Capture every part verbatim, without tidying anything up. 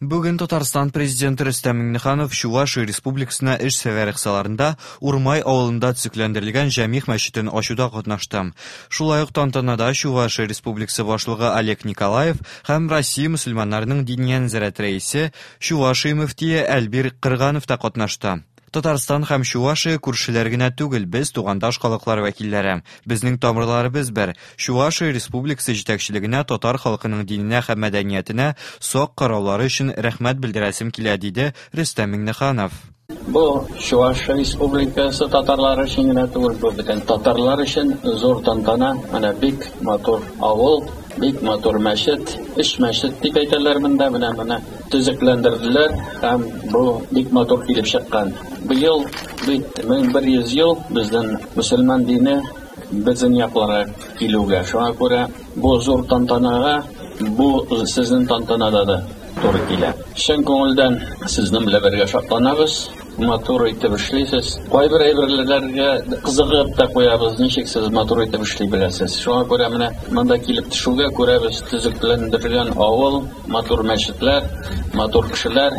Бүген Татарстан президенты Рөстәм Миңнеханов Чувашия Республикасына эш сәфәре кысаларында Урмай авылында төзекләндерелгән Җәмигъ мәчетен ачуда катнашты. Шулай ук тантанада Чувашия Республикасы башлыгы Олег Николаев һәм Россия мөселманнарының Диния нәзарәте рәисе, Чувашия мөфтие Әлбир Кырганов та катнашты. Татарстан һәм Чувашия күршеләр генә түгел, без тугандаш халыклар вәкилләре. Безнең тамырларыбыз бер. Чувашия Республикасы җитәкчелегенә татар халкының диненә һәм мәдәниятенә сак караулары өчен рәхмәт белдерәсем килә, диде Рөстәм Миңнеханов. Бу Чувашия Республикасы татарлары өчен генә түгел, бу бөтен татарлар өчен зур тантана. Менә бик матур авыл, бик матур мәчет, өч мәчет дип әйтәләр монда, менә менә төзекләндерделәр һәм бу бик матур килеп чыккан. Быел бит мең бер йөз ел безнең мөселман дине безнең якларга килүгә. Шуңа күрә бу зур тантанага, бу сезнең тантанада да туры килә. Чын күңелдән сезнең белән бергә шатланабыз. Матур итеп эшлисез. Кайбер әйберләргә кызыгып та куябыз, ничек сез матур итеп эшли беләсез. Шуңа күрә менә монда килеп төшүгә күрәбез төзекләндерелгән авыл, матур мәчетләр, матур кешеләр.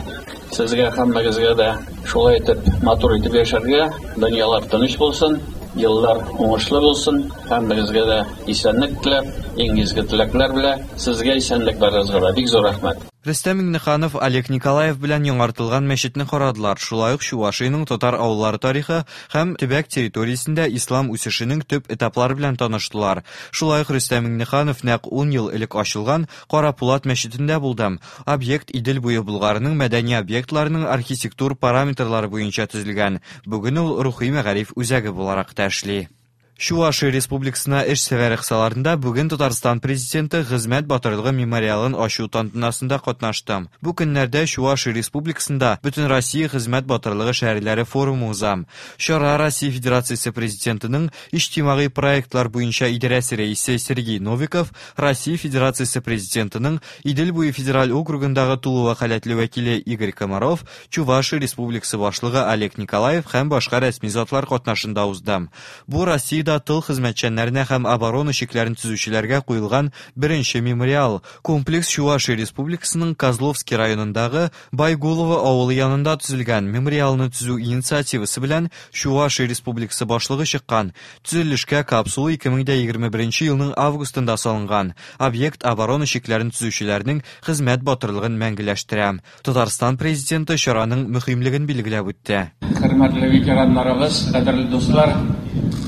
Сезгә һәммәгезгә дә шулай итеп матур итеп яшәргә, дөньялар тыныч булсын, еллар уңышлы булсын. Һәммәгезгә дә исәнлек теләп, иң изге теләкләр белән сезгә исәнлек барыгызга да бик зур рәхмәт. Рөстәм Миңнеханов Олег Николаев белән яңартылган мәчетне карадылар. Шулай ук Чувашиянең татар авыллары тарихы һәм төбәк территориясендә ислам үсешенең төп этаплары белән таныштылар. Шулай ук Рөстәм Миңнеханов нәкъ ун ел элек ачылган Карапулат мәчетендә булды. Объект Идел буе Болгарының мәдәни объектларының архитектур параметрлары буенча төзелгән. Бүген ул рухи мәгариф үзәге буларак та эшли. Чувашия Республикасына эш сәфәре кысаларында бүген Татарстан президенты Хезмәт батырлыгы мемориалын ачу тантанасында катнашты. Бу көннәрдә Чувашия Республикасында Бөтенроссия Хезмәт батырлыгы шәһәрләре форумы уза. Чара Россия Федерациясе президентының иҗтимагый проектлар буенча идарәсе рәисе Сергей Новиков, Россия Федерациясе президентының Идел буе федераль округындагы тулы вәкаләтле вәкиле Игорь Комаров, Чувашия Республикасы башлыгы Олег Николаев һәм башка рәсми затлар катнашында узды. Бу Россиядә тыл хезмәтчәннәренә һәм оборона чикләрен төзүчеләргә куелган беренче мемориал. Комплекс Чувашия Республикасының Козловский районындагы Байгулово авылы янында төзелгән. Мемориалны төзү инициативасы белән Чувашия Республикасы башлыгы чыккан. Төзелешкә капсула ике мең дә егерме беренче елның августында салынган. Объект оборона чикләрен төзүчеләрнең хезмәт батырлыгын мәңгеләштерә. Татарстан президенты чараның мөһимлеген билгеләп үтте. Хөрмәтле ветераннарыбыз, кадерле дуслар,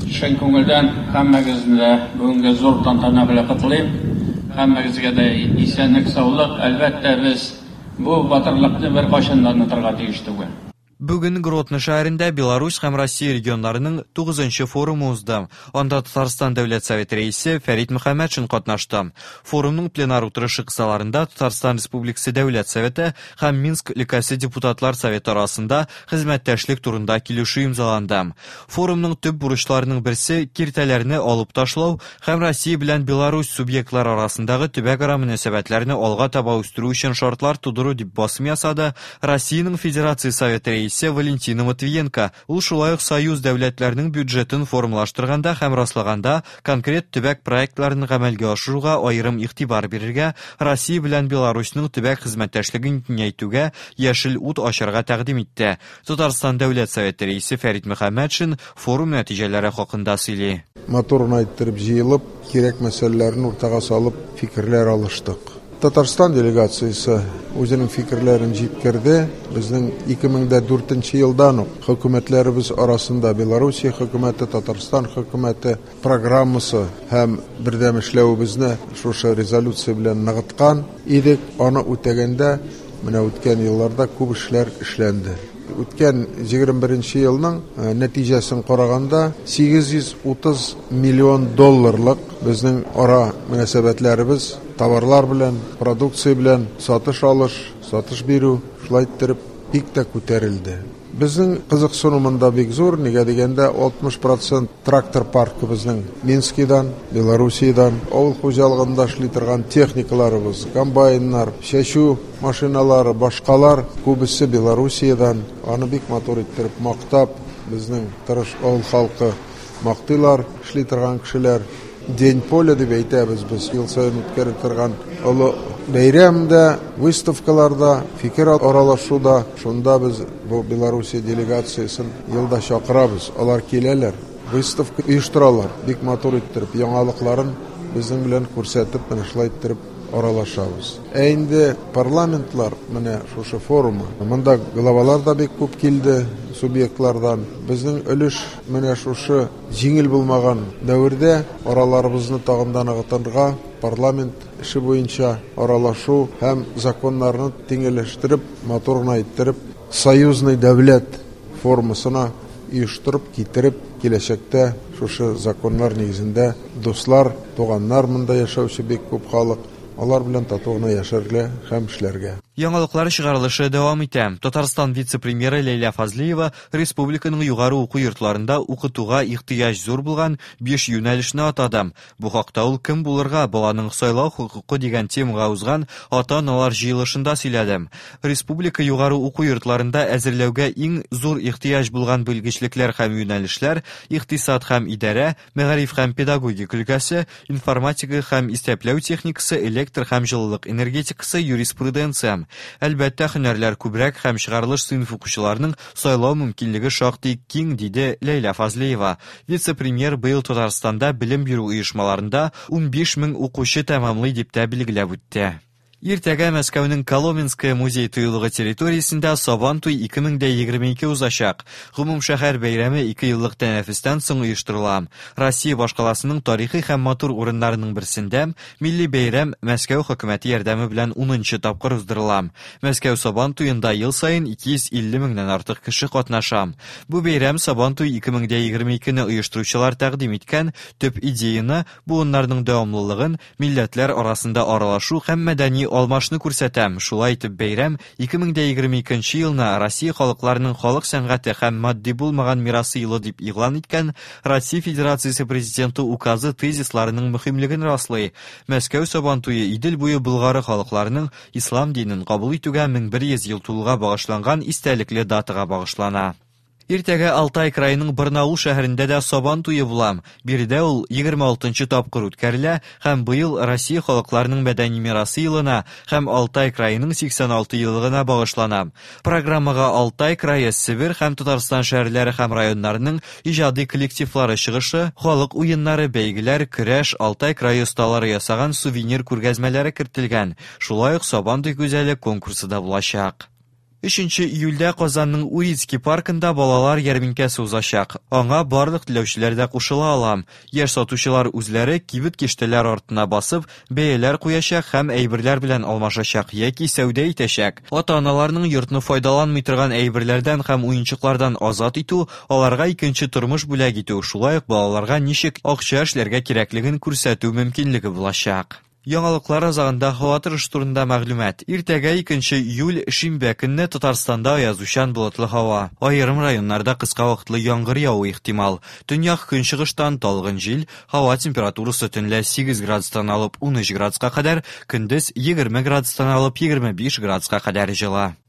чын күңелдән һәммәгезне дә бүгенге зур тантана белән котлыйм. Һәммәгезгә дә исәнлек, саулык. Әлбәттә, без бу батырлыкны беркайчан да онытырга тиеш түгел. Бүген Гродно шәһәрендә Беларусь һәм Россия регионнарының тугызынчы форумы узды. Анда Татарстан Дәүләт Советы рәисе Фәрит Мөхәммәтшин катнашты. Форумның пленар утырышы кысаларында Татарстан Республикасы Дәүләт Советы һәм Минск өлкәсе Депутатлар Советы арасында хезмәттәшлек турында килешү имзаланды. Форумның төп бурычларының берсе киртәләрне алып ташлау һәм Россия белән Беларусь субъектлары арасындагы төбәкара мөнәсәбәтләрне алга таба үстерү өчен шартлар тудыру дип басым ясады Россиянең Федерация Советы рәисе Валентина Матвиенко. Ул шулай ук союз дәүләтләренең бюджетын формалаштырганда һәм раслаганда конкрет төбәк проектларын гамәлгә ашыруга аерым игътибар бирергә, Россия белән Беларусьның төбәк хезмәттәшлеген киңәйтүгә яшел ут ачарга тәкъдим итте. Татарстан Дәүләт Советы рәисе Фәрит Мөхәммәтшин форум нәтиҗәләре хакында сөйли. Матур иттереп җыелып, кирәк мәсьәләләрен уртага салып фикерләр алыштык. Татарстан делегациясе үзенең фикерләрен җиткерде. Безнең ике мең дә дүртенче елдан ук хөкүмәтләребез арасында Белоруссия хөкүмәте, Татарстан хөкүмәте программасы һәм бердәм эшләвебезне шушы резолюция белән ныгыткан идек. Аны үтәгәндә менә үткән елларда күп эшләр эшләнде. Үткән егерме беренче елның нәтиҗәсен караганда сигез йөз утыз миллион долларлык безнең ара мөнәсәбәтләребез товарлар белән, продукция белән сатыш алыш, сатыш бирү шулай иттереп бик тә күтәрелде. Безнең кызыксыну монда бик зур, нигә дигәндә алтмыш процент трактор паркы безнең Минскидан, Белоруссиядан, авыл хуҗалыгында эшли торган техникаларыбыз, комбайннар, чәчү машиналары, башкалар күбесе Белоруссиядан. Аны бик матур иттереп мактап, безнең тырыш авыл халкы мактыйлар, эшли торган кешеләр. День поля дип әйтәбез без, ел саен үткәреп торган олы Бәйрәм дә, выставкаларда, фикер аралашуда, шунда без бу Белоруссия делегациясен елда чакырабыз. Алар киләләр, выставка оештыралар, бик матур иттереп, яңалыкларын безнең белән күрсәтеп, менә шулай иттереп аралашабыз. Ә инде парламентлар менә шушы форумы. Монда главалар да бик күп килде субъектлардан. Безнең өлеш менә шушы җиңел булмаган дәвердә араларыбызны тагын да ныгытырга, парламент эше буенча аралашу һәм законнарны тиңеләштереп, матур гына иттереп, союзный дәүләт формасына оештырып, китереп, киләчәктә шушы законнар нигезендә дуслар, туганнар монда яшәүче бик күп халык, алар белән тату гына яшәргә һәм эшләргә. Яңалыклар чыгарылышы дәвам итә. Татарстан вице-премьеры Ләйлә Фазлиева республиканың югары уку йортларында укытуга ихтыяҗ зур булган биш юнәлешне атады. Бу хакта ул кем булырга, баланың сайлау хокукы дигән темага узган ата-аналар җыелышында сөйләде. Республика югары уку йортларында әзерләүгә иң зур ихтыяҗ булган белгечлекләр һәм юнәлешләр икътисад һәм идарә, мәгариф һәм педагогика өлкәсе, информатика һәм исәпләү техникасы, электр һәм җылылык энергетикасы, юриспруденция. Әлбәттә, һөнәрләр күбрәк һәм чыгарылыш сыйныф укучыларының сайлау мөмкинлеге шактый киң, диде Ләйлә Фазлиева. Вице-премьер быел Татарстанда белем бирү оешмаларында унбиш мең укучы тәмамлый дип тә билгеләп үтте. Иртәгә Мәскәүнең Коломенское музей тыюлыгы территориясендә Сабантуй ике мең дә егерме ике узачак. Гомумшәһәр бәйрәме ике еллык тәнәфестән соң оештырыла. Россия башкаласының тарихи һәм матур урыннарының берсендә милли бәйрәм Мәскәү хөкүмәте ярдәме белән унынчы тапкыр уздырыла. Мәскәү Сабантуенда ел саен ике йөз илле меңнән артык кеше катнаша. Бу бәйрәм Сабантуй ике мең дә егерме икене оештыручылар тәкъдим иткән төп идеяны, буыннарның дәвамлылыгын, милләтләр арасында аралашу һәм мәдәни алмашны күрсәтәм. Шулай итеп бәйрәм ике мең дә егерме икенче елны Россия халыкларының халык сәнгате һәм матди булмаган мирасы елы дип игълан иткән Россия Федерациясе Президенты указы тезисларының мөһимлеген раслый. Мәскәү Сабантуе Идел буе Болгары халыкларының ислам динен кабул итүгә мең бер йөз ел тулуга багышланган истәлекле датага багышлана. Иртәгә Алтай краеның Барнаул шәһәрендә дә Сабан туе була. Биредә ул егерме алтынчы тапкыр үткәрелә һәм быел Россия халыкларының мәдәни мирасы елына һәм Алтай краеның сиксән алты еллыгына багышлана. Программага Алтай крае, Себер һәм Татарстан шәһәрләре һәм районнарының иҗади коллективлары чыгышы, халык уеннары, бәйгеләр, көрәш, Алтай крае осталары ясаган сувенир күргәзмәләре кертелгән. Шулай ук Сабан туй гүзәле конкурсы да булачак. Өченче июльдә Казанның Урицкий паркында балалар ярминкәсе узачак. Аңа барлык теләүчеләр дә кушыла ала. Яшь сатучылар үзләре кибет киштәләр артына басып, бәяләр куячак һәм әйберләр белән алмашачак яки сәүдә итәчәк. Ата-аналарның йортны файдаланмый торган әйберләрдән һәм уенчыклардан азат итү, аларга икенче тормыш бүләк итү, шулай ук балаларга ничек акча эшләргә кирәклеген күрсәтү мөмкинлеге булачак. Яңалыклар азагында һава торышы турында мәгълүмат. Иртәгә икенче июль шимбә көнне Татарстанда аязучан болытлы һава. Аерым районнарда кыска вакытлы яңгыр явуы ихтимал. Төньяк көнчыгыштан талгын җил, һава температурасы төнлә сигез градустан алып ун өч градуска кадәр, көндез егерме градустан алып егерме биш градуска кадәр җылы.